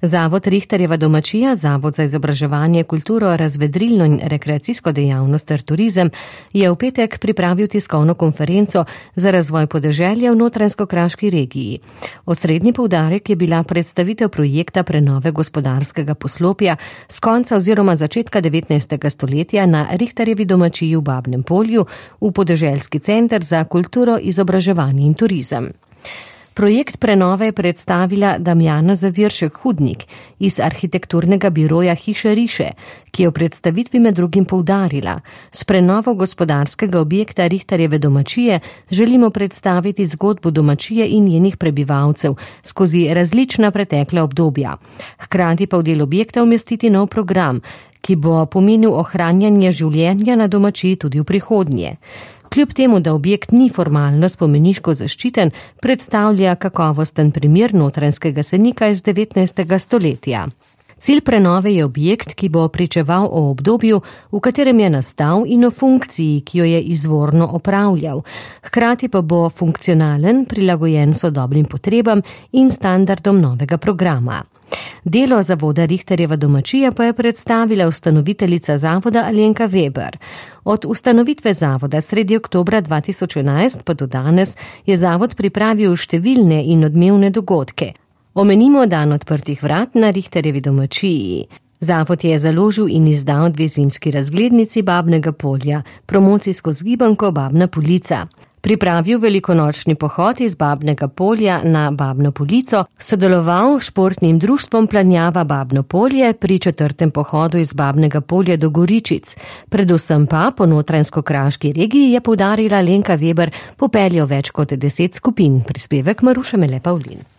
Zavod Rihterjeva domačija, Zavod za izobraževanje, kulturo, razvedrilno in rekreacijsko dejavnost ter turizem, je v petek pripravil tiskovno konferenco za razvoj podeželja v Notranjsko-Kraški regiji. Osrednji poudarek je bila predstavitev projekta prenove gospodarskega poslopja s konca oziroma začetka 19. stoletja na Rihterjevi domačiji v Babnem Polju v podeželski center za kulturo, izobraževanje in turizem. Projekt prenove je predstavila Damjana Zaviršek-Hudnik iz arhitekturnega biroja Hiše Riše, ki je v predstavitvi med drugim poudarila: s prenovo gospodarskega objekta Rihterjeve domačije želimo predstaviti zgodbo domačije in njenih prebivalcev skozi različna pretekla obdobja. Hkrati pa v del objekta umestiti nov program, ki bo pomenil ohranjanje življenja na domačiji tudi v prihodnje. Kljub temu, da objekt ni formalno spomeniško zaščiten, predstavlja kakovosten primer notranjskega senika iz 19. stoletja. Cilj prenove je objekt, ki bo pričeval o obdobju, v katerem je nastal, in o funkciji, ki jo je izvorno opravljal. Hkrati pa bo funkcionalen, prilagojen sodobnim potrebam in standardom novega programa. Delo zavoda Rihterjeva domačija pa je predstavila ustanoviteljica zavoda Alenka Weber. Od ustanovitve zavoda sredi oktobra 2011 pa do danes je zavod pripravil številne in odmevne dogodke. Omenimo dan odprtih vrat na Rihterjevi domačiji. Zavod je založil in izdal 2 zimski razglednici Babnega Polja, promocijsko zgibanko Babna Polica. Pripravil velikonočni pohod iz Babnega Polja na Babno Polico, sodeloval s športnim društvom Planjava Babno Polje pri 4. pohodu iz Babnega Polja do Goričic. Predvsem pa po Notranjsko-Kraški regiji, je poudarila Alenka Weber, popeljal več kot 10 skupin. Prispevek Maruša Mele Pavlin.